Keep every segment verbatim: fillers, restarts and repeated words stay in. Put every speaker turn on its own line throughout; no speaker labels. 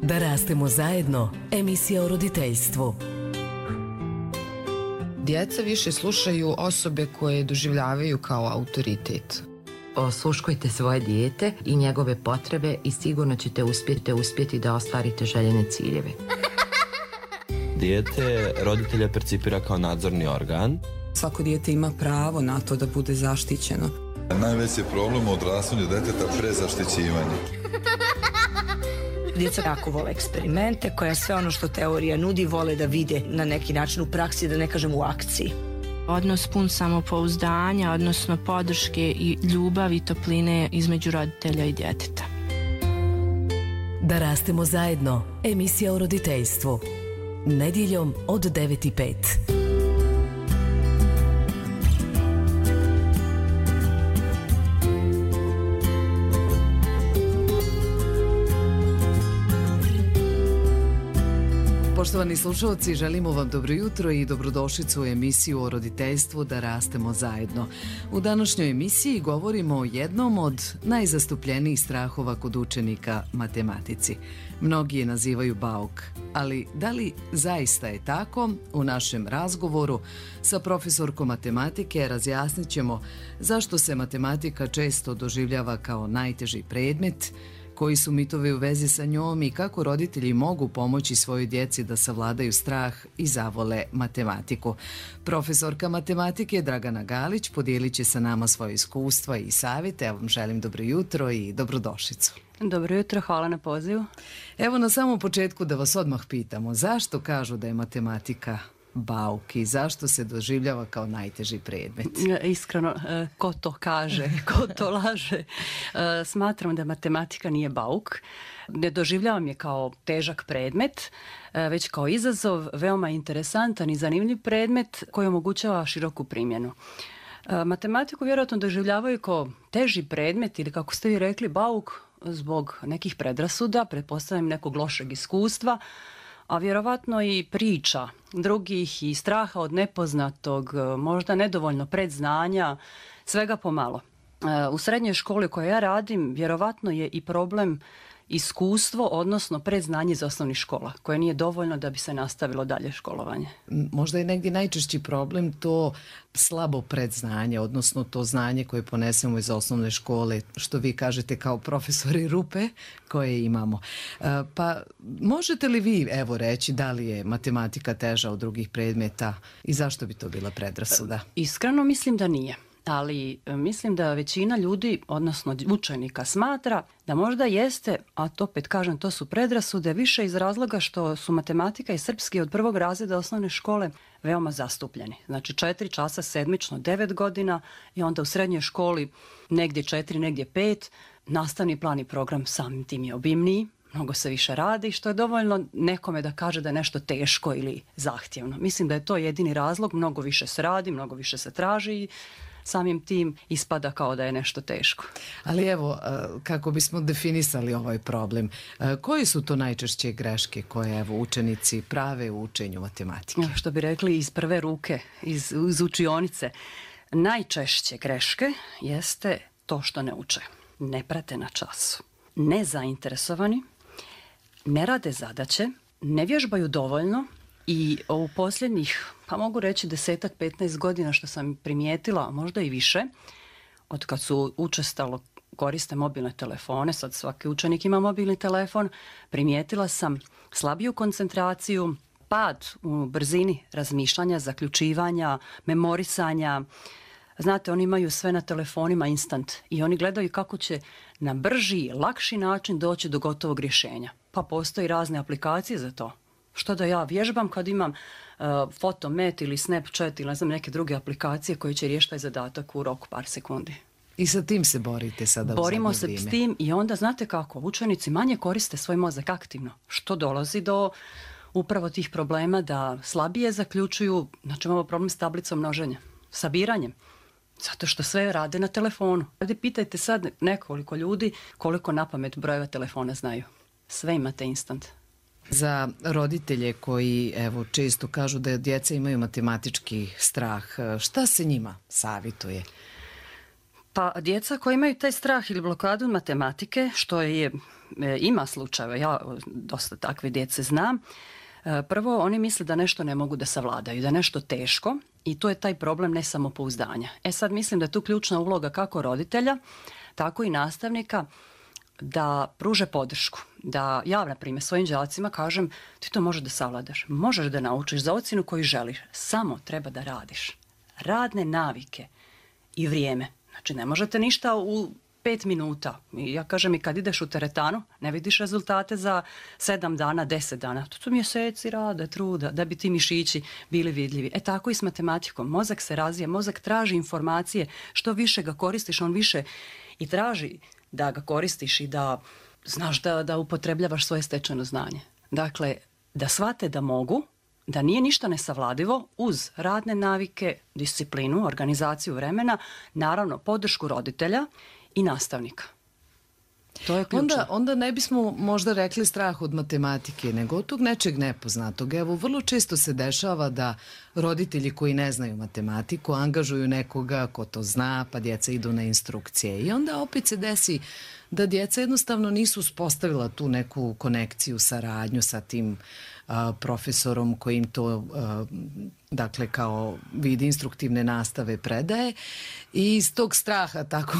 Da rastemo zajedno, emisija o roditeljstvu.
Djeca više slušaju osobe koje doživljavaju kao autoritet.
Osluškujte svoje dijete i njegove potrebe i sigurno ćete uspjeti, uspjeti da ostvarite željene ciljeve.
Dijete roditelja percipira kao nadzorni organ.
Svako dijete ima pravo na to da bude zaštićeno.
Najveći je problem u odrastanju djeteta prezaštićivanje.
Djeca jako vole eksperimente, koja sve ono što teorija nudi vole da vide na neki način u praksi, da ne kažem u akciji.
Odnos pun samopouzdanja, odnosno podrške i ljubavi i topline između roditelja i djeteta.
Da rastemo zajedno, emisija o roditeljstvu. Nedjeljom od devet i pet.
Poštovani slušalci, želimo vam dobro jutro i dobrodošlicu u emisiju o roditeljstvu Da rastemo zajedno. U današnjoj emisiji govorimo o jednom od najzastupljenijih strahova kod učenika, matematici. Mnogi je nazivaju bauk, ali da li zaista je tako? U našem razgovoru sa profesorkom matematike razjasnit ćemo zašto se matematika često doživljava kao najteži predmet, koji su mitovi u vezi sa njom i kako roditelji mogu pomoći svojoj djeci da savladaju strah i zavole matematiku. Profesorka matematike Dragana Galić podijelit će sa nama svoje iskustva i savjete. Ja vam želim dobro jutro i dobrodošlicu.
Dobro jutro, hvala na pozivu.
Evo na samom početku da vas odmah pitamo, zašto kažu da je matematika bauk i zašto se doživljava kao najteži predmet?
Iskreno, ko to kaže, ko to laže? Smatram da matematika nije bauk. Ne doživljavam je kao težak predmet, već kao izazov, veoma interesantan i zanimljiv predmet koji omogućava široku primjenu. Matematiku vjerojatno doživljavaju kao teži predmet ili, kako ste vi rekli, bauk zbog nekih predrasuda, pretpostavljam nekog lošeg iskustva, a vjerovatno i priča drugih i straha od nepoznatog, možda nedovoljno predznanja, svega pomalo. U srednjoj školi u kojoj ja radim, vjerovatno je i problem iskustvo, odnosno predznanje iz osnovnih škola, koje nije dovoljno da bi se nastavilo dalje školovanje.
Možda je negdje najčešći problem to slabo predznanje, odnosno to znanje koje ponesemo iz osnovne škole, što vi kažete kao profesori rupe koje imamo. Pa možete li vi evo reći da li je matematika teža od drugih predmeta i zašto bi to bila predrasuda?
Iskreno mislim da nije. Ali mislim da većina ljudi, odnosno učenika, smatra da možda jeste, a to opet kažem, to su predrasude, više iz razloga što su matematika i srpski od prvog razreda osnovne škole veoma zastupljeni. Znači četiri časa sedmično, devet godina i onda u srednjoj školi negdje četiri, negdje pet. Nastavni plan i program samim tim je obimniji, mnogo se više radi, što je dovoljno nekome da kaže da je nešto teško ili zahtjevno. Mislim da je to jedini razlog, mnogo više se radi, mnogo više se traži i samim tim ispada kao da je nešto teško.
Ali evo, kako bismo definisali ovaj problem, koje su to najčešće greške koje evo učenici prave u učenju matematike?
Što bi rekli iz prve ruke, iz, iz učionice. Najčešće greške jeste to što ne uče. Ne prate na času. Nezainteresovani, ne rade zadaće, ne vježbaju dovoljno. I u posljednjih, pa mogu reći desetak, petnaest godina što sam primijetila, možda i više, od kad su učestalo koriste mobilne telefone, sad svaki učenik ima mobilni telefon, primijetila sam slabiju koncentraciju, pad u brzini razmišljanja, zaključivanja, memorisanja. Znate, oni imaju sve na telefonima instant i oni gledaju kako će na brži, lakši način doći do gotovog rješenja. Pa postoji razne aplikacije za to. Što da ja vježbam kad imam uh, Fotomet ili Snapchat ili ne znam neke druge aplikacije koje će riješiti taj zadatak u roku par sekundi.
I sa tim se borite sada?
Borimo se s tim i onda znate kako, učenici manje koriste svoj mozak aktivno, što dolazi do upravo tih problema da slabije zaključuju. Znači imamo problem s tablicom množenja, sabiranjem, zato što sve rade na telefonu. Ovdje pitajte sad nekoliko ljudi koliko napamet brojeva telefona znaju. Sve imate instant.
Za roditelje koji evo često kažu da djeca imaju matematički strah, šta se njima savjetuje?
Pa djeca koji imaju taj strah ili blokadu matematike, što je, ima slučajeva, ja dosta takve djece znam, prvo oni misle da nešto ne mogu da savladaju, da je nešto teško i to je taj problem nesamopouzdanja. E sad mislim da je tu ključna uloga kako roditelja, tako i nastavnika da pruže podršku. Da ja, na primjer, svojim đacima kažem ti to možeš da savladaš, možeš da naučiš za ocjenu koju želiš, samo treba da radiš. Radne navike i vrijeme. Znači ne možete ništa u pet minuta. Ja kažem i kad ideš u teretanu, ne vidiš rezultate za sedam dana, deset dana. To su mjeseci rada, truda, da bi ti mišići bili vidljivi. E tako i s matematikom. Mozak se razvija, mozak traži informacije. Što više ga koristiš, on više i traži da ga koristiš i da znaš da, da upotrebljavaš svoje stečeno znanje. Dakle, da shvate da mogu, da nije ništa nesavladivo uz radne navike, disciplinu, organizaciju vremena, naravno podršku roditelja i nastavnika. To je ključno.
Onda, onda ne bismo možda rekli strah od matematike, nego od tog nečeg nepoznatog. Evo, vrlo često se dešava da roditelji koji ne znaju matematiku angažuju nekoga ko to zna, pa djeca idu na instrukcije. I onda opet se desi da djeca jednostavno nisu uspostavila tu neku konekciju, saradnju sa tim a, profesorom koji im to a, dakle kao vid instruktivne nastave predaje i iz tog straha tako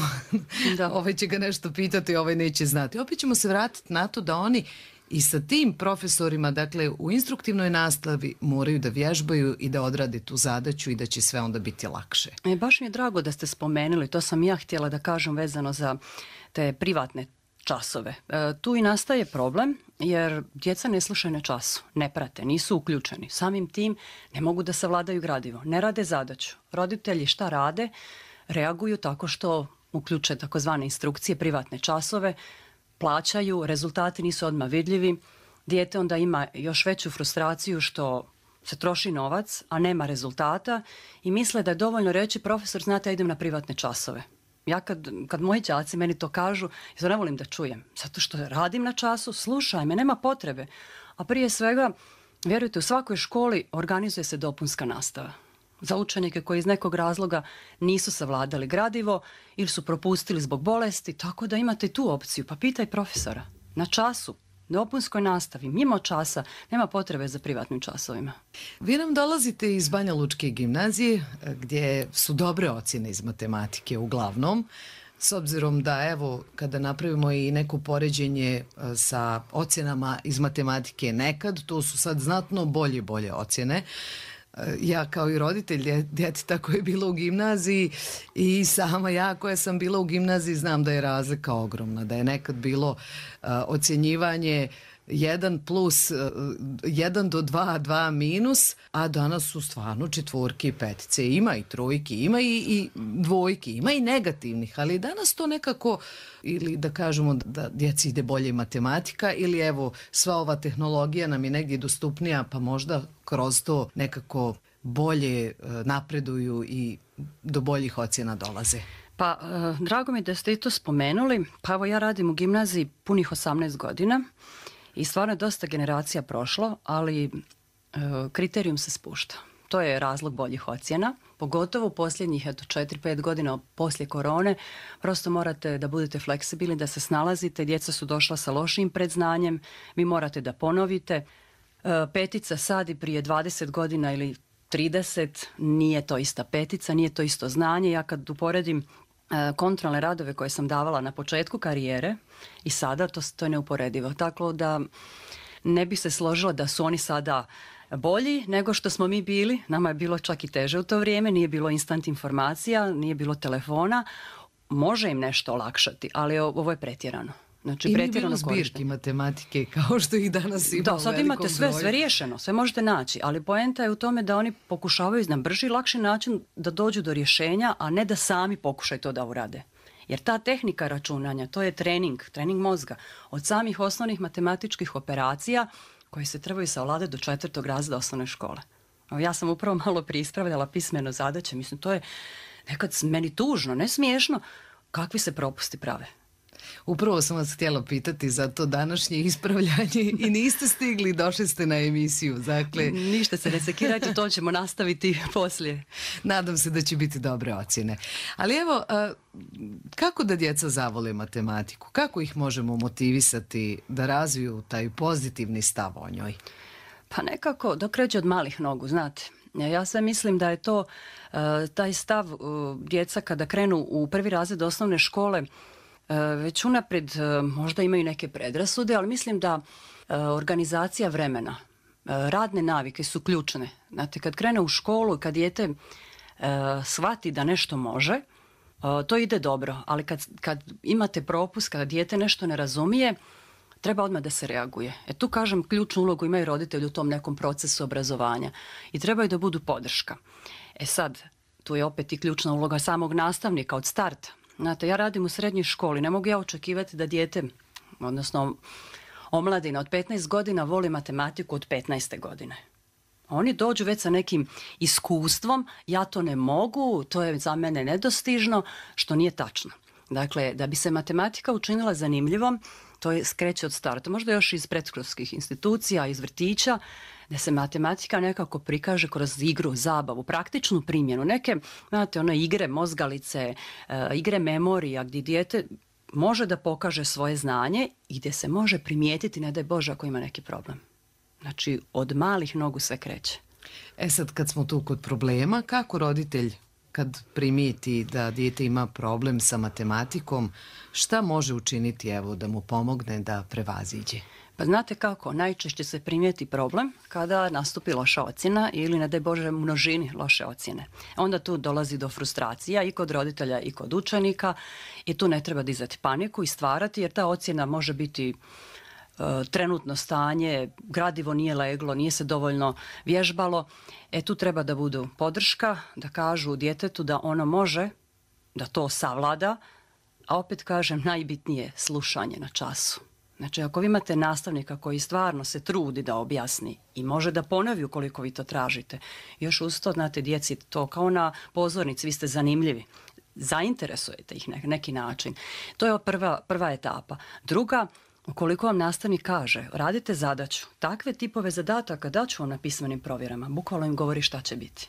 da. Ovaj će ga nešto pitati, ovaj neće znati. Opet ćemo se vratiti na to da oni i sa tim profesorima, dakle u instruktivnoj nastavi moraju da vježbaju i da odrade tu zadaću i da će sve onda biti lakše.
E, baš mi je drago da ste spomenuli, to sam ja htjela da kažem vezano za te privatne časove. E, tu i nastaje problem jer djeca ne slušaju na času, ne prate, nisu uključeni. Samim tim ne mogu da savladaju gradivo, ne rade zadaću. Roditelji šta rade? Reaguju tako što uključe takozvane instrukcije, privatne časove, plaćaju, rezultati nisu odmah vidljivi. Dijete onda ima još veću frustraciju što se troši novac, a nema rezultata i misle da je dovoljno reći profesor, znate, ja idem na privatne časove. Ja kad, kad moji đaci meni to kažu, ja to ne volim da čujem, zato što radim na času, slušaj me, nema potrebe. A prije svega, vjerujte, u svakoj školi organizuje se dopunska nastava. Za učenike koji iz nekog razloga nisu savladali gradivo ili su propustili zbog bolesti, tako da imate tu opciju. Pa pitaj profesora, na času, dopunskoj nastavi, mimo časa, nema potrebe za privatnim časovima.
Vi nam dolazite iz Banja Lučke gimnazije gdje su dobre ocjene iz matematike uglavnom, s obzirom da evo kada napravimo i neko poređenje sa ocjenama iz matematike nekad, to su sad znatno bolje bolje ocjene. Ja kao i roditelj djeteta koje je bilo u gimnaziji i sama ja koja sam bila u gimnaziji znam da je razlika ogromna, da je nekad bilo uh, ocjenjivanje jedan plus jedan do dva, dva minus, a danas su stvarno četvorke i petice. Ima i trojki, ima i, i dvojki, ima i negativnih, ali danas to nekako, ili da kažemo da djeci ide bolje matematika, ili evo sva ova tehnologija nam je negdje dostupnija, pa možda kroz to nekako bolje napreduju i do boljih ocjena dolaze.
Pa, drago mi da ste i to spomenuli. Pa evo ja radim u gimnaziji punih osamnaest godina. I stvarno je dosta generacija prošlo, ali e, kriterijum se spušta. To je razlog boljih ocjena, pogotovo u posljednjih četiri pet godina poslije korone. Prosto morate da budete fleksibilni, da se snalazite. Djeca su došla sa lošim predznanjem, vi morate da ponovite. E, petica sad i prije dvadeset godina ili trideset nije to ista petica, nije to isto znanje. Ja kad uporedim kontrolne radove koje sam davala na početku karijere i sada, to, to je neuporedivo. Tako da ne bi se složila da su oni sada bolji nego što smo mi bili. Nama je bilo čak i teže u to vrijeme, nije bilo instant informacija, nije bilo telefona. Može im nešto olakšati, ali ovo je pretjerano. Znači,
i nije bilo zbirki matematike kao što ih danas ima.
Da, sad imate sve, sve riješeno, sve možete naći, ali poenta je u tome da oni pokušavaju na brži i lakši način da dođu do rješenja, a ne da sami pokušaju to da urade. Jer ta tehnika računanja, to je trening, trening mozga. Od samih osnovnih matematičkih operacija koje se trebaju savladati do četvrtog razreda osnovne škole. Ja sam upravo malo prije ispravljala pismeno zadaće, mislim, to je nekad meni tužno, ne smiješno, kakvi se propusti prave.
Upravo sam vas htjela pitati za to današnje ispravljanje i niste stigli, došli ste na emisiju. Dakle,
ništa se ne sekirajte, to ćemo nastaviti poslije.
Nadam se da će biti dobre ocjene. Ali evo, kako da djeca zavole matematiku? Kako ih možemo motivisati da razviju taj pozitivni stav o njoj?
Pa nekako, dok kreće od malih nogu, znate. Ja sve mislim da je to taj stav djeca kada krenu u prvi razred osnovne škole, već unaprijed možda imaju neke predrasude, ali mislim da organizacija vremena, radne navike su ključne. Znate, kad krene u školu i kad dijete shvati da nešto može, to ide dobro, ali kad, kad imate propust, kada dijete nešto ne razumije, treba odmah da se reaguje. E tu, kažem, ključnu ulogu imaju roditelji u tom nekom procesu obrazovanja i trebaju da budu podrška. E sad, tu je opet i ključna uloga samog nastavnika od starta. Znate, ja radim u srednjoj školi, ne mogu ja očekivati da dijete, odnosno omladina od petnaest godina voli matematiku od petnaeste godine. Oni dođu već sa nekim iskustvom, ja to ne mogu, to je za mene nedostižno, što nije tačno. Dakle, da bi se matematika učinila zanimljivom, to je skreće od starta, možda još iz predškolskih institucija, iz vrtića, da se matematika nekako prikaže kroz igru, zabavu, praktičnu primjenu. Neke, znate, one igre, mozgalice, e, igre memorija, gdje dijete može da pokaže svoje znanje i gdje se može primijetiti, ne daj Bože, ako ima neki problem. Znači, od malih nogu sve kreće.
E sad, kad smo tu kod problema, kako roditelj kad primijeti da dijete ima problem sa matematikom, šta može učiniti, evo, da mu pomogne da prevaziđe?
Pa znate kako, najčešće se primijeti problem kada nastupi loša ocjena ili, ne daj Bože, množini loše ocjene. Onda tu dolazi do frustracija i kod roditelja i kod učenika i tu ne treba dizati paniku i stvarati, jer ta ocjena može biti trenutno stanje, gradivo nije leglo, nije se dovoljno vježbalo. E tu treba da budu podrška, da kažu djetetu da ono može, da to savlada, a opet kažem, najbitnije slušanje na času. Znači, ako vi imate nastavnika koji stvarno se trudi da objasni i može da ponovi ukoliko vi to tražite, još uz to, znate, djeci to kao na pozornici, vi ste zanimljivi, zainteresujete ih na neki način. To je prva, prva etapa. Druga, ukoliko vam nastavnik kaže, radite zadaću, takve tipove zadataka daću vam na pismenim provjerama, bukvalno im govori šta će biti.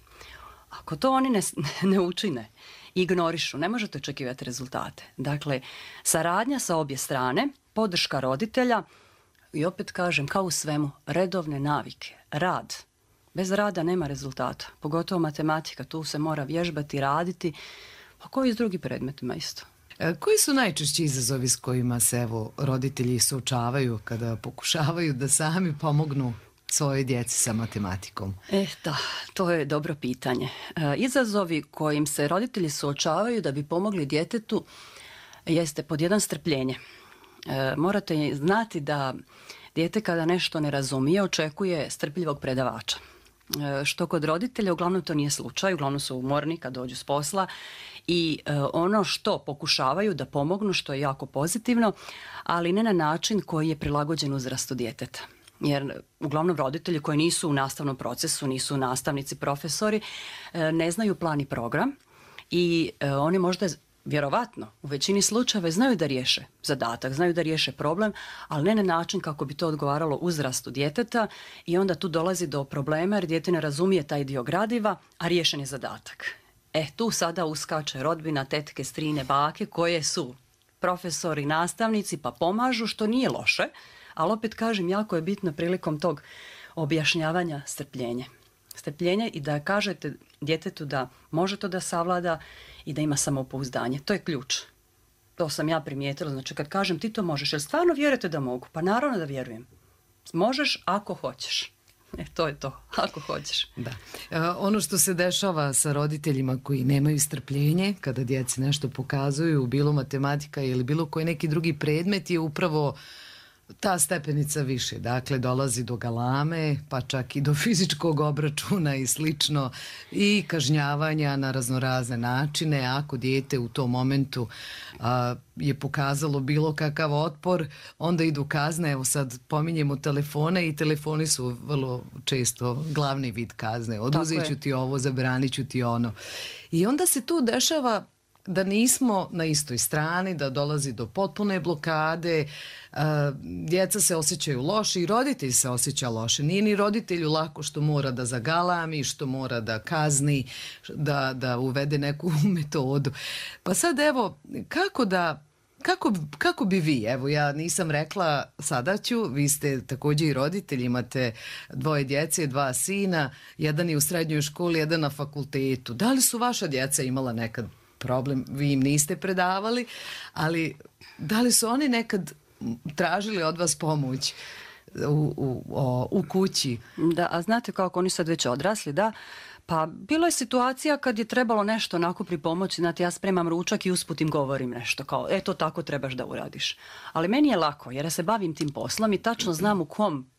Ako to oni ne, ne učine, ignorišu, ne možete očekivati rezultate. Dakle, saradnja sa obje strane, podrška roditelja i opet kažem, kao u svemu, redovne navike, rad. Bez rada nema rezultata, pogotovo matematika, tu se mora vježbati, raditi, a koji s drugim predmetima isto.
Koji su najčešći izazovi s kojima se, evo, roditelji suočavaju kada pokušavaju da sami pomognu svojoj djeci sa matematikom?
E, da, to je dobro pitanje. E, izazovi kojim se roditelji suočavaju da bi pomogli djetetu jeste pod jedan strpljenje. E, morate znati da dijete kada nešto ne razumije očekuje strpljivog predavača. E, što kod roditelja uglavnom to nije slučaj, uglavnom su umorni kad dođu s posla i e, ono što pokušavaju da pomognu, što je jako pozitivno, ali ne na način koji je prilagođen uzrastu djeteta. Jer uglavnom roditelji koji nisu u nastavnom procesu, nisu nastavnici, profesori, e, ne znaju plan i program i e, oni možda vjerovatno u većini slučajeva znaju da riješe zadatak, znaju da riješe problem, ali ne na način kako bi to odgovaralo uzrastu djeteta i onda tu dolazi do problema jer dijete ne razumije taj dio gradiva, a riješen je zadatak. E, tu sada uskače rodbina, tetke, strine, bake koje su profesori, nastavnici pa pomažu, što nije loše, ali opet kažem, jako je bitno prilikom tog objašnjavanja strpljenje. Strpljenje i da kažete djetetu da može to da savlada i da ima samopouzdanje. To je ključ. To sam ja primijetila. Znači, kad kažem ti to možeš, jel stvarno vjerujete da mogu? Pa naravno da vjerujem. Možeš ako hoćeš. E, to je to, ako hoćeš.
Da. E, ono što se dešava sa roditeljima koji nemaju strpljenje, kada djeci nešto pokazuju, bilo matematika ili bilo koji neki drugi predmet, je upravo ta stepenica više. Dakle, dolazi do galame, pa čak i do fizičkog obračuna i slično, i kažnjavanja na raznorazne načine. Ako dijete u tom momentu a, je pokazalo bilo kakav otpor, onda idu kazne. Evo sad pominjemo telefone i telefoni su vrlo često glavni vid kazne. Oduzet ću ti ovo, zabranit ću ti ono. I onda se tu dešava da nismo na istoj strani, da dolazi do potpune blokade, djeca se osjećaju loše i roditelj se osjeća loše. Nije ni roditelju lako što mora da zagalami, što mora da kazni, da, da uvede neku metodu. Pa sad evo, kako da Kako, kako bi vi, evo ja nisam rekla, sada ću, vi ste također i roditelji, imate dvoje djece, dva sina, jedan je u srednjoj školi, jedan na fakultetu. Da li su vaša djeca imala nekad problem, vi im niste predavali, ali da li su oni nekad tražili od vas pomoć u, u, o, u kući?
Da, a znate kako oni sad već odrasli, da. Pa bilo je situacija kad je trebalo nešto onako pripomoći, znate, ja spremam ručak i usput im govorim nešto kao, e to tako trebaš da uradiš. Ali meni je lako jer ja se bavim tim poslom i tačno znam u kom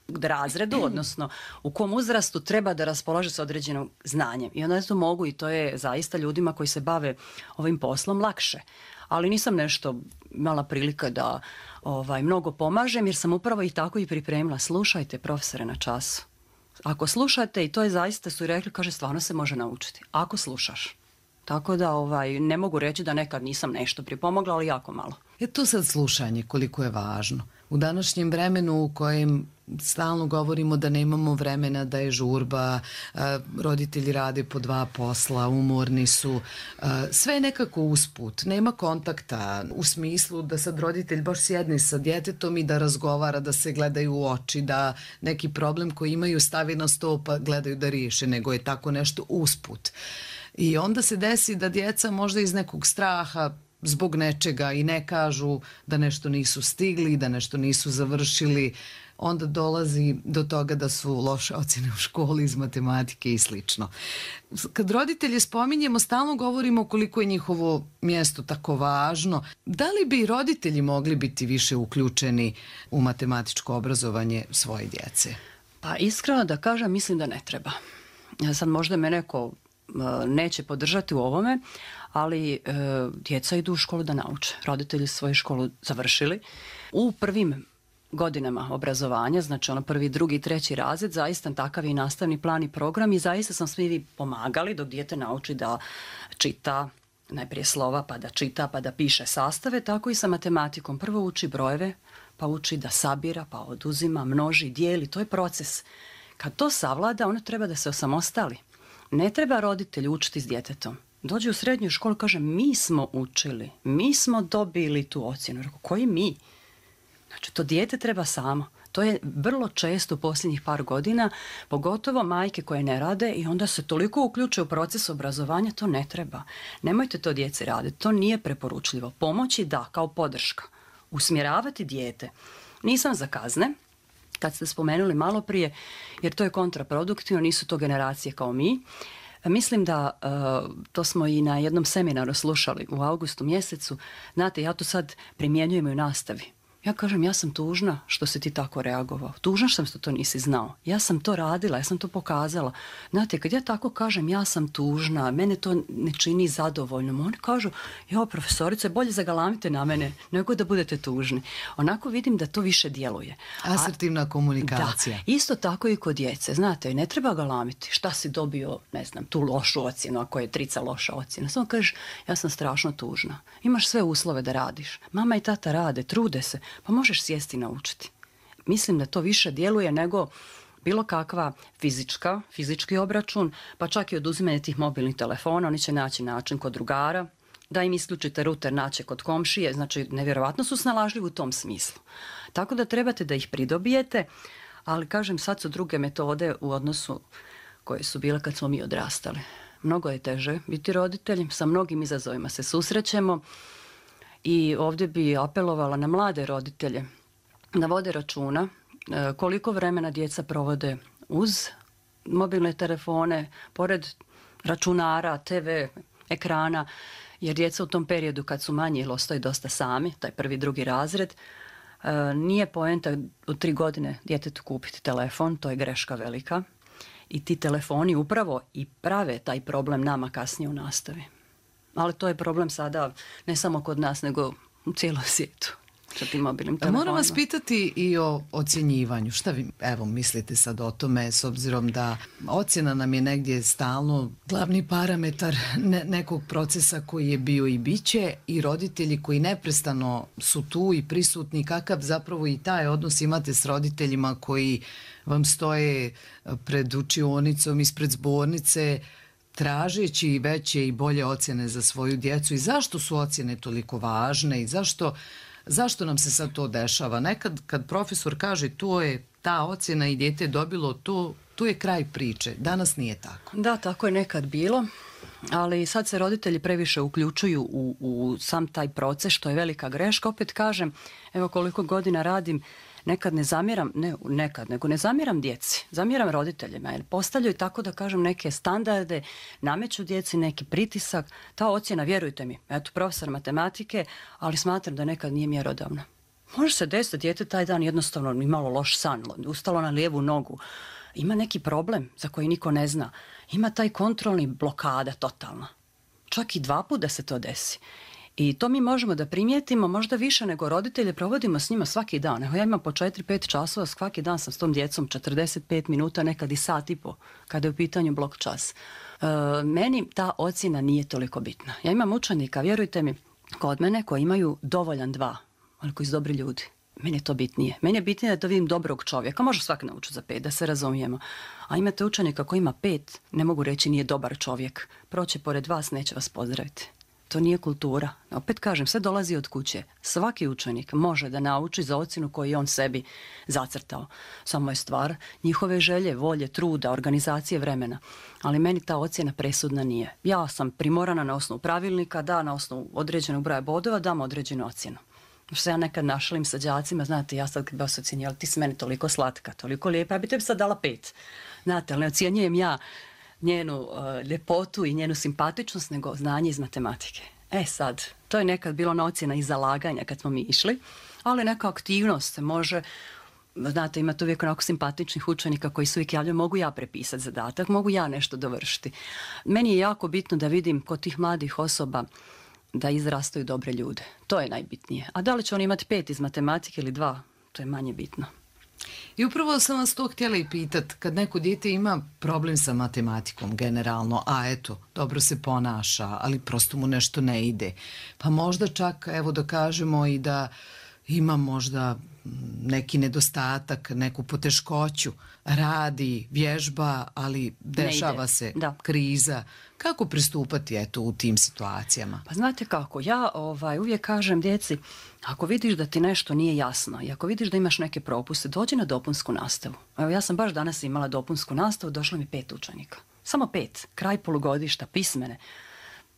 razredu, odnosno u kom uzrastu treba da raspolaže s određenim znanjem. I onda to mogu i to je zaista ljudima koji se bave ovim poslom lakše. Ali nisam nešto imala prilika da ovaj, mnogo pomažem jer sam upravo i tako i pripremila. Slušajte profesore na času. Ako slušate, i to je zaista su rekli, kaže, stvarno se može naučiti. Ako slušaš. Tako da ovaj, ne mogu reći da nekad nisam nešto pripomogla, ali jako malo.
Je to sad slušanje koliko je važno. U današnjem vremenu u kojem stalno govorimo da nemamo vremena, da je žurba, roditelji rade po dva posla, umorni su, sve je nekako usput, nema kontakta u smislu da sad roditelj baš sjedne sa djetetom i da razgovara, da se gledaju u oči, da neki problem koji imaju stavi na sto pa gledaju da riješe, nego je tako nešto usput. I onda se desi da djeca možda iz nekog straha zbog nečega i ne kažu da nešto nisu stigli, da nešto nisu završili, onda dolazi do toga da su loše ocjene u školi iz matematike i slično. Kad roditelje spominjemo, stalno govorimo koliko je njihovo mjesto tako važno. Da li bi roditelji mogli biti više uključeni u matematičko obrazovanje svoje djece?
Pa iskreno da kažem, mislim da ne treba. Sad možda me neko neće podržati u ovome, ali e, djeca idu u školu da nauče. Roditelji svoju školu završili. U prvim godinama obrazovanja, znači ono prvi, drugi, treći razred, zaista takav je i nastavni plan i program i zaista sam svi pomagali dok dijete nauči da čita najprije slova, pa da čita, pa da piše sastave, tako i sa matematikom. Prvo uči brojeve, pa uči da sabira, pa oduzima, množi, dijeli, to je proces. Kad to savlada, ono treba da se osamostali. Ne treba roditelj učiti s djetetom. Dođe u srednju školu, kaže, mi smo učili, mi smo dobili tu ocjenu. Rekao, koji mi? Znači, to dijete treba samo. To je vrlo često u posljednjih par godina, pogotovo majke koje ne rade i onda se toliko uključuju u proces obrazovanja, to ne treba. Nemojte to djeci raditi, to nije preporučljivo. Pomoći da, kao podrška. Usmjeravati dijete. Nisam za kazne, kad ste spomenuli malo prije, jer to je kontraproduktivno, nisu to generacije kao mi. Mislim da, uh, to smo i na jednom seminaru slušali u augustu mjesecu, znate, ja to sad primjenjujem i u nastavi. Ja kažem, ja sam tužna što si ti tako reagovao. Tužna što to nisi znao. Ja sam to radila, ja sam to pokazala. Znate, kad ja tako kažem, ja sam tužna, mene to ne čini zadovoljnom. Oni kažu, jo, profesorice, bolje zagalamite na mene nego da budete tužni. Onako vidim da to više djeluje.
Asertivna komunikacija.
Da, isto tako i kod djece. Znate, ne treba galamiti. Šta si dobio, ne znam, tu lošu ocjenu, ako je trica loša ocjena. Samo kažeš, ja sam strašno tužna. Imaš sve uslove da radiš. Mama i tata rade, trude se. Pa možeš sjesti i naučiti. Mislim da to više djeluje nego bilo kakva fizička, fizički obračun, pa čak i oduzimanje tih mobilnih telefona. Oni će naći način kod drugara, da im isključite ruter, naće kod komšije. Znači, nevjerovatno su snalažljivi u tom smislu. Tako da trebate da ih pridobijete, ali kažem, sad su druge metode u odnosu koje su bile kad smo mi odrastali. Mnogo je teže biti roditelj, sa mnogim izazovima se susrećemo. I ovdje bi apelovala na mlade roditelje da vode računa koliko vremena djeca provode uz mobilne telefone, pored računara, te ve, ekrana, jer djeca u tom periodu kad su manji ili ostaju dosta sami, taj prvi, drugi razred, nije poenta u tri godine djetetu kupiti telefon, to je greška velika. I ti telefoni upravo i prave taj problem nama kasnije u nastavi. Ali to je problem sada ne samo kod nas, nego u cijelom svijetu. sa tim mobilnim telefonima.
Moram vas pitati i o ocjenjivanju. Šta vi, evo, mislite sad o tome, s obzirom da ocjena nam je negdje stalno glavni parametar ne, nekog procesa koji je bio i biće, i roditelji koji neprestano su tu i prisutni, kakav zapravo i taj odnos imate s roditeljima koji vam stoje pred učionicom, ispred zbornice, tražeći veće i bolje ocjene za svoju djecu, i zašto su ocjene toliko važne i zašto, zašto nam se sad to dešava? Nekad kad profesor kaže to je ta ocjena i dijete je dobilo to, tu je kraj priče. Danas nije tako.
Da, tako je nekad bilo, ali sad se roditelji previše uključuju u, u sam taj proces, što je velika greška. Opet kažem, evo koliko godina radim, nekad ne zamjeram, ne nekad, nego ne zamjeram djeci, zamjeram roditeljima, jer postavljaju, tako da kažem, neke standarde, nameću djeci neki pritisak. Ta ocjena, vjerujte mi, eto, profesor matematike, ali smatram da nekad nije mjerodavna. Može se desiti, dijete taj dan jednostavno imalo loš san, ustalo na lijevu nogu, ima neki problem za koji niko ne zna, ima taj kontrolni blokada totalna. Čak i dva puta da se to desi. I to mi možemo da primijetimo možda više nego roditelje, provodimo s njima svaki dan. Evo, ja imam po četiri pet časova, svaki dan sam s tom djecom četrdeset pet minuta, nekad i sat i po, kada je u pitanju blok čas. E, meni ta ocjena nije toliko bitna. Ja imam učenika, vjerujte mi, kod mene koji imaju dovoljan dva, ali koji su dobri ljudi. Meni je to bitnije. Meni je bitnije da to vidim dobrog čovjeka. Može svak naučiti za pet, da se razumijemo. A imate učenika koji ima pet, ne mogu reći nije dobar čovjek. Proće pored vas, neće vas pozdraviti. To nije kultura. Opet kažem, sve dolazi od kuće. Svaki učenik može da nauči za ocjenu koju je on sebi zacrtao. Samo je stvar njihove želje, volje, truda, organizacije vremena. Ali meni ta ocjena presudna nije. Ja sam primorana na osnovu pravilnika, da na osnovu određenog broja bodova dam određenu ocjenu. Što se ja nekad našalim sa đacima, znate, ja sad kad bi vas ocjenjala, ti si meni toliko slatka, toliko lijepa, ja bi tebi sad dala pet. Znate, ali ne ocjenjujem ja njenu uh, ljepotu i njenu simpatičnost, nego znanje iz matematike. E sad, to je nekad bilo na ocjena i zalaganja kad smo mi išli, ali neka aktivnost se može, znate, imate uvijek onako simpatičnih učenika koji se uvijek javljaju, mogu ja prepisati zadatak, mogu ja nešto dovršiti. Meni je jako bitno da vidim kod tih mladih osoba da izrastaju dobre ljude. To je najbitnije. A da li će oni imati pet iz matematike ili dva, to je manje bitno.
I upravo sam vas to htjela i pitat, kad neko dijete ima problem sa matematikom generalno, a eto, dobro se ponaša, ali prosto mu nešto ne ide, pa možda čak, evo da kažemo i da ima možda neki nedostatak, neku poteškoću, radi, vježba, ali dešava se da. kriza. Kako pristupati eto u tim situacijama?
Pa znate kako, ja ovaj, uvijek kažem djeci, ako vidiš da ti nešto nije jasno i ako vidiš da imaš neke propuste, dođi na dopunsku nastavu. Evo, ja sam baš danas imala dopunsku nastavu, došlo mi pet učenika. Samo pet, kraj polugodišta, pismene.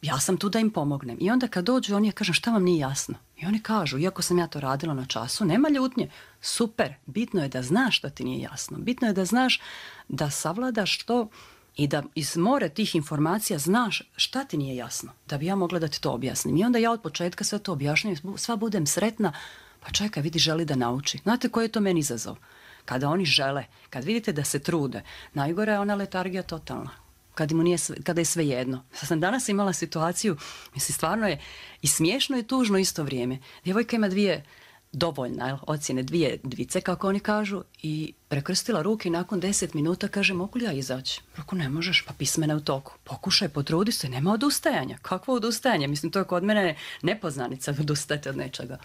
Ja sam tu da im pomognem. I onda kad dođu, oni ja kažem šta vam nije jasno. I oni kažu, iako sam ja to radila na času, nema ljutnje. Super, bitno je da znaš što ti nije jasno. Bitno je da znaš da savladaš to i da iz more tih informacija znaš šta ti nije jasno. Da bi ja mogla da ti to objasnim. I onda ja od početka sve to objašnjam, sva budem sretna, pa čekaj, vidi, želi da nauči. Znate koji je to meni izazov? Kada oni žele, kad vidite da se trude, najgore je ona letargija totalna. Kada, mu nije sve, kada je sve jedno. Sad sam danas imala situaciju, mislim, stvarno je i smiješno i tužno isto vrijeme. Djevojka ima dvije dovoljne ocjene, dvije dvice, kako oni kažu, i prekrstila ruke i nakon deset minuta kaže, mogu li ja izaći? Ako ne možeš, pa pismena u toku. Pokušaj, potrudi se, nema odustajanja. Kakvo odustajanje? Mislim, to je kod mene nepoznanica, odustajete od nečega.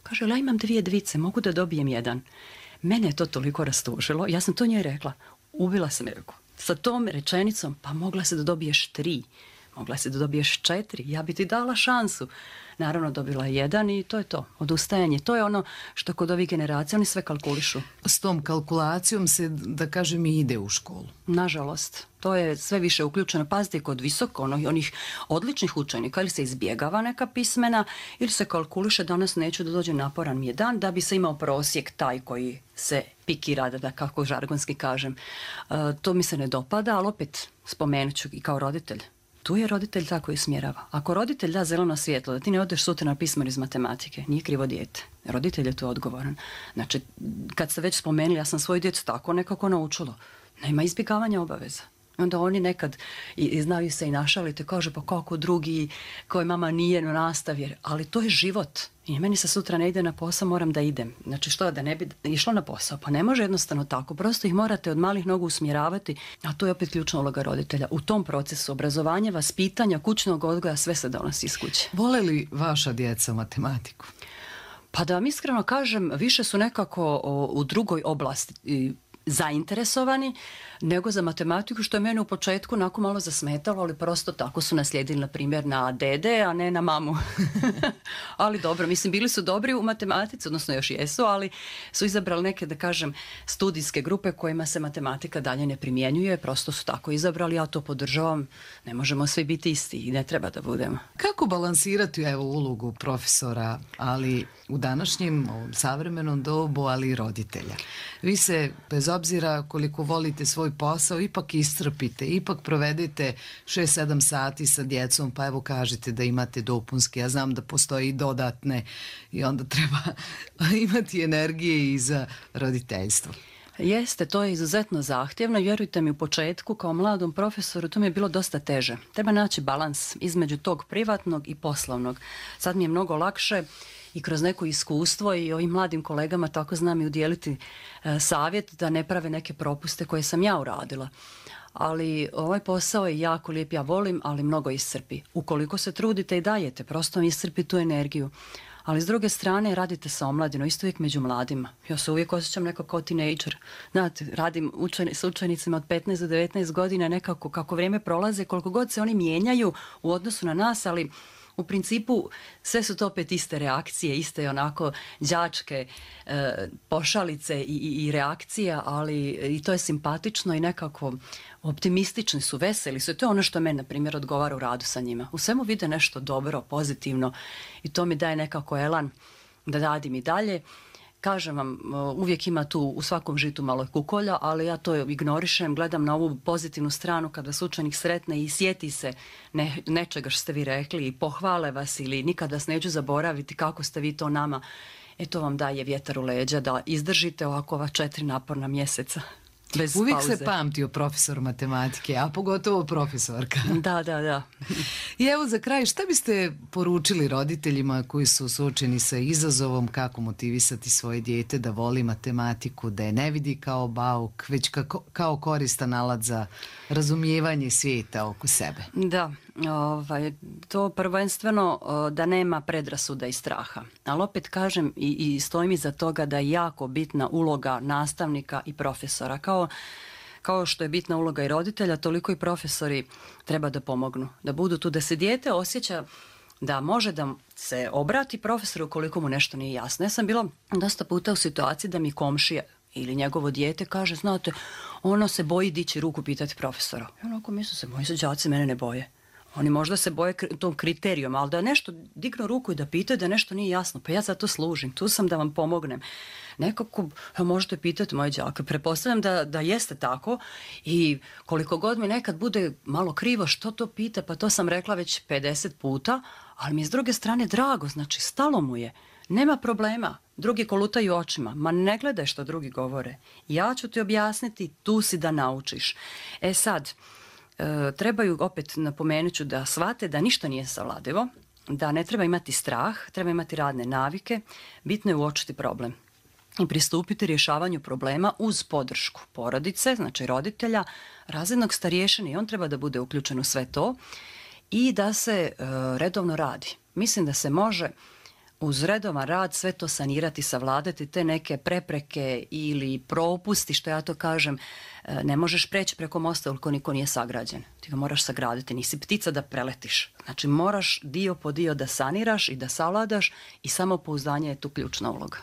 Kaže, ja imam dvije dvice, mogu da dobijem jedan. Mene je to toliko rastužilo, ja sam to njoj rekla, ubila sam je. Sa tom rečenicom, pa mogla se da dobiješ tri, mogla se da dobiješ četiri, ja bi ti dala šansu. Naravno, dobila je jedan i to je to, odustajanje. To je ono što kod ovih generacija, oni sve kalkulišu.
S tom kalkulacijom se, da kažem, i ide u školu.
Nažalost, to je sve više uključeno. Pazite, kod visoko, ono, onih odličnih učenika, ili se izbjegava neka pismena, ili se kalkuliše, danas neću da dođem, naporan mi je dan, da bi se imao prosjek taj koji se pikira, da, da kako žargonski kažem. E, to mi se ne dopada, ali opet spomenut ću i kao roditelj. Tu je roditelj tako koji smjerava. Ako roditelj da zeleno svjetlo, da ti ne odeš sutra na pismo iz matematike, nije krivo dijete. Roditelj je tu odgovoran. Znači, kad ste već spomenuli, ja sam svoju djecu tako nekako naučilo. Nema izbjegavanja obaveza. Onda oni nekad i, i znaju se i našaliti, kaže pa kako drugi, koji mama nije na nastavi, ali to je život. I meni se sutra ne ide na posao, moram da idem. Znači što, da ne bi išla na posao? Pa ne može jednostavno tako. Prosto ih morate od malih nogu usmjeravati, a to je opet ključna uloga roditelja. U tom procesu obrazovanja, vaspitanja, kućnog odgoja, sve se donosi iz kuće.
Vole li vaša djeca matematiku?
Pa da vam iskreno kažem, više su nekako o, u drugoj oblasti zainteresovani nego za matematiku, što je mene u početku onako malo zasmetalo, ali prosto tako su naslijedili, na primjer, na dede, a ne na mamu. Ali dobro, mislim, bili su dobri u matematici, odnosno još jesu, ali su izabrali neke, da kažem, studijske grupe kojima se matematika dalje ne primjenjuje, prosto su tako izabrali, ja to podržavam, ne možemo svi biti isti i ne treba da budemo.
Kako balansirati, evo, ulogu profesora, ali u današnjem ovom savremenom dobu, ali i roditelja? Vi se, bez obzira koliko volite svoj posao, ipak iscrpite, ipak provedete šest sedam sati sa djecom, pa evo kažete da imate dopunske, ja znam da postoji i dodatne i onda treba imati energije i za roditeljstvo.
Jeste, to je izuzetno zahtjevno. Vjerujte mi, u početku kao mladom profesoru to mi je bilo dosta teže. Treba naći balans između tog privatnog i poslovnog. Sad mi je mnogo lakše i kroz neko iskustvo i ovim mladim kolegama tako znam i udjeliti e, savjet da ne prave neke propuste koje sam ja uradila. Ali ovaj posao je jako lijep, ja volim, ali mnogo iscrpi. Ukoliko se trudite i dajete, prosto mi iscrpi tu energiju. Ali s druge strane radite sa omladinom, isto uvijek među mladima. Ja se uvijek osjećam nekako kao teenager. Znate, radim učen, s učenicima od petnaest do devetnaest godina, nekako kako vrijeme prolaze, koliko god se oni mijenjaju u odnosu na nas, ali u principu sve su to opet iste reakcije, iste onako đačke e, pošalice i, i, i reakcija, ali i to je simpatično i nekako optimistični su, veseli su. I to je ono što meni, na primjer, odgovara u radu sa njima. U svemu vide nešto dobro, pozitivno i to mi daje nekako elan da radim i dalje. Kažem vam, uvijek ima tu u svakom žitu malo kukolja, ali ja to ignorišem, gledam na ovu pozitivnu stranu kad vas učenik sretne i sjeti se ne, nečega što ste vi rekli i pohvale vas ili nikad vas neću zaboraviti kako ste vi to nama. E to vam daje vjetar u leđa da izdržite ovako ova četiri naporna mjeseca. Bez
Uvijek
pauze.
se pamtio profesor matematike, a pogotovo profesorka.
Da, da, da.
I evo za kraj, šta biste poručili roditeljima koji su suočeni sa izazovom kako motivisati svoje dijete da voli matematiku, da je ne vidi kao bauk, već kako, kao koristan alat za razumijevanje svijeta oko sebe?
Da, ovaj, to prvenstveno da nema predrasuda i straha. Ali opet kažem i, i stojim iza toga da je jako bitna uloga nastavnika i profesora. Kao Kao što je bitna uloga i roditelja, toliko i profesori treba da pomognu. Da budu tu, da se dijete osjeća da može da se obrati profesoru ukoliko mu nešto nije jasno. Ja sam bila dosta puta u situaciji da mi komšija ili njegovo dijete kaže, znate, ono se boji dići ruku pitati profesora. I onako misle se, moji se đaci mene ne boje. Oni možda se boje tom kriterijom, ali da nešto dignu ruku i da pitaju da nešto nije jasno, pa ja za to služim, tu sam da vam pomognem. Nekako možete pitati moje đake, pretpostavljam da, da jeste tako i koliko god mi nekad bude malo krivo što to pita, pa to sam rekla već pedeset puta, ali mi je s druge strane drago, znači stalo mu je, nema problema, drugi kolutaju očima, ma ne gledaj što drugi govore, ja ću ti objasniti, tu si da naučiš. E sad, e, trebaju, opet napomenut ću da shvate da ništa nije savladivo, da ne treba imati strah, treba imati radne navike, bitno je uočiti problem i pristupiti rješavanju problema uz podršku porodice, znači roditelja, razrednog starješine i on treba da bude uključen u sve to i da se e, redovno radi. Mislim da se može uz redovan rad sve to sanirati, savladati te neke prepreke ili propusti, što ja to kažem, e, ne možeš preći preko mosta ukoliko niko nije sagrađen. Ti ga moraš sagraditi, nisi ptica da preletiš. Znači moraš dio po dio da saniraš i da savladaš i samopouzdanje je tu ključna uloga.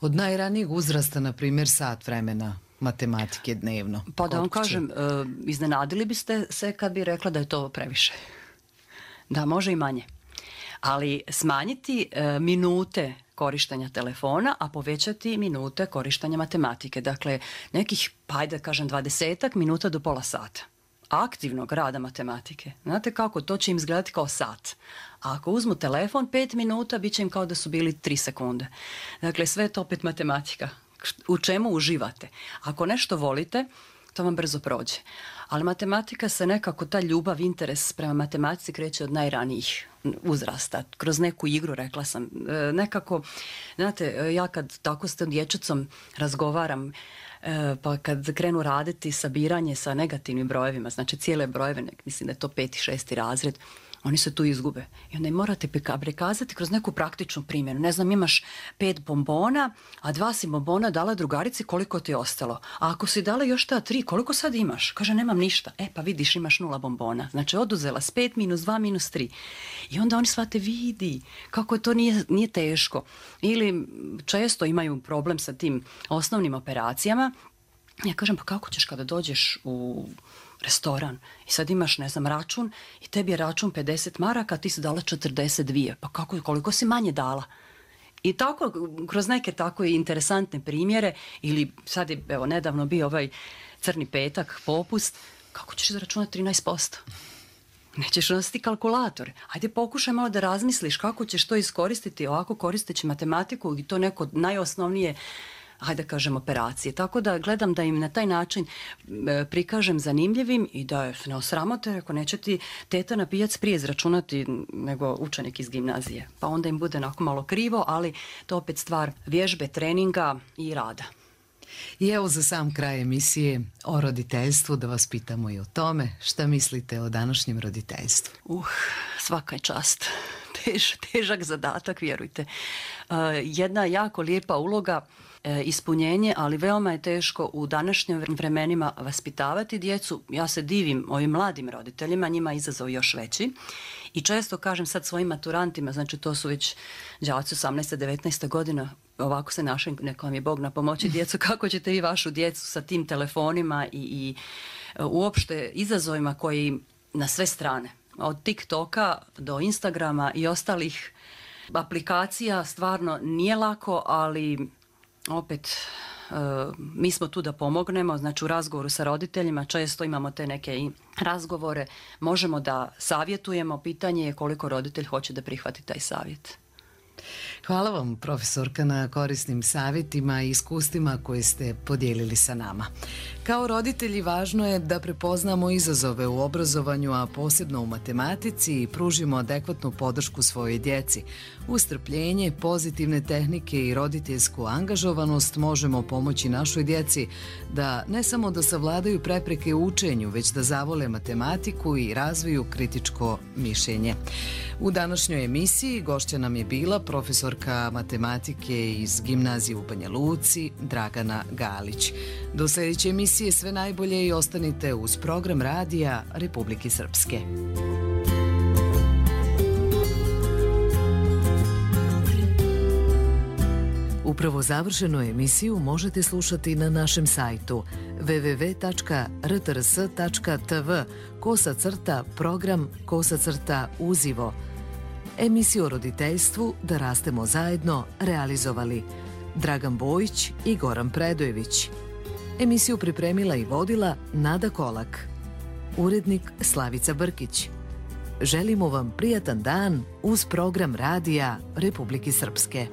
Od najranijeg uzrasta, na primjer, sat vremena matematike dnevno.
Pa da vam kažem, e, iznenadili biste se kad bi rekla da je to previše. Da, može i manje. Ali smanjiti e, minute korištenja telefona, a povećati minute korištenja matematike. Dakle, nekih, pa ajde da kažem, dvadesetak minuta do pola sata aktivnog rada matematike. Znate kako? To će im izgledati kao sat. A ako uzmu telefon pet minuta, bit će im kao da su bili tri sekunde. Dakle, sve je to opet matematika. U čemu uživate? Ako nešto volite, to vam brzo prođe. Ali matematika se nekako, ta ljubav, interes prema matematici kreće od najranijih uzrasta. Kroz neku igru, rekla sam, nekako, znate, ja kad tako s tom dječicom razgovaram, pa kad krenu raditi sabiranje sa negativnim brojevima, znači cijele brojeve, mislim da je to peti, šesti razred, oni se tu izgube. I onda im morate prikazati kroz neku praktičnu primjenu. Ne znam, imaš pet bombona, a dva si bombona dala drugarici, koliko ti je ostalo? A ako si dala još ta tri, koliko sad imaš? Kaže, nemam ništa. E, pa vidiš, imaš nula bombona. Znači, oduzela s pet minus dva minus tri. I onda oni shvate, vidi, kako to nije, nije teško. Ili često imaju problem sa tim osnovnim operacijama. Ja kažem, pa kako ćeš kada dođeš u restoran i sad imaš, ne znam, račun i tebi je račun pedeset maraka, a ti si dala četrdeset dvije. Pa kako, koliko si manje dala? I tako, kroz neke tako interesantne primjere, ili sad je, evo, nedavno bio ovaj crni petak, popust, kako ćeš zaračunati trinaest posto? Nećeš nositi kalkulator. Ajde, pokušaj malo da razmisliš kako ćeš to iskoristiti ovako koristeći matematiku i to neko najosnovnije, hajde kažem, operacije. Tako da gledam da im na taj način e, prikažem zanimljivim i da ne osramote, ako neće ti teta na pijac prije izračunati nego učenik iz gimnazije. Pa onda im bude onako malo krivo, ali to opet stvar vježbe, treninga i rada.
I evo za sam kraj emisije o roditeljstvu da vas pitamo i o tome šta mislite o današnjem roditeljstvu.
Uh, svaka je čast. Tež, težak zadatak, vjerujte. Uh, jedna jako lijepa uloga, e, ispunjenje, ali veoma je teško u današnjim vremenima vaspitavati djecu. Ja se divim ovim mladim roditeljima, njima je izazov još veći. I često kažem sad svojim maturantima, znači to su već đaci osamnaesta devetnaesta godina, ovako se našem, neko vam je Bog na pomoći djecu, kako ćete vi vašu djecu sa tim telefonima i, i uopšte izazovima koji na sve strane, od TikToka do Instagrama i ostalih aplikacija, stvarno nije lako, ali opet uh, mi smo tu da pomognemo, znači u razgovoru sa roditeljima često imamo te neke i razgovore, možemo da savjetujemo, pitanje je koliko roditelj hoće da prihvati taj savjet.
Hvala vam, profesorka, na korisnim savjetima i iskustvima koje ste podijelili sa nama. Kao roditelji važno je da prepoznamo izazove u obrazovanju, a posebno u matematici, i pružimo adekvatnu podršku svojoj djeci. Uz strpljenje, pozitivne tehnike i roditeljsku angažovanost možemo pomoći našoj djeci da ne samo da savladaju prepreke u učenju, već da zavole matematiku i razviju kritičko mišljenje. U današnjoj emisiji gošća nam je bila profesorka matematike iz gimnazije u Banja Luci, Dragana Galić. Do sljedeće emisije sve najbolje i ostanite uz program radija Republike Srpske. Upravo završenu emisiju možete slušati na našem sajtu w w w tačka r t r s tačka t v kosa crta program kosa crta uzivo. Emisiju o roditeljstvu Da rastemo zajedno realizovali Dragan Bojić i Goran Predojević. Emisiju pripremila i vodila Nada Kolak. Urednik Slavica Brkić. Želimo vam prijatan dan uz program radija Republike Srpske.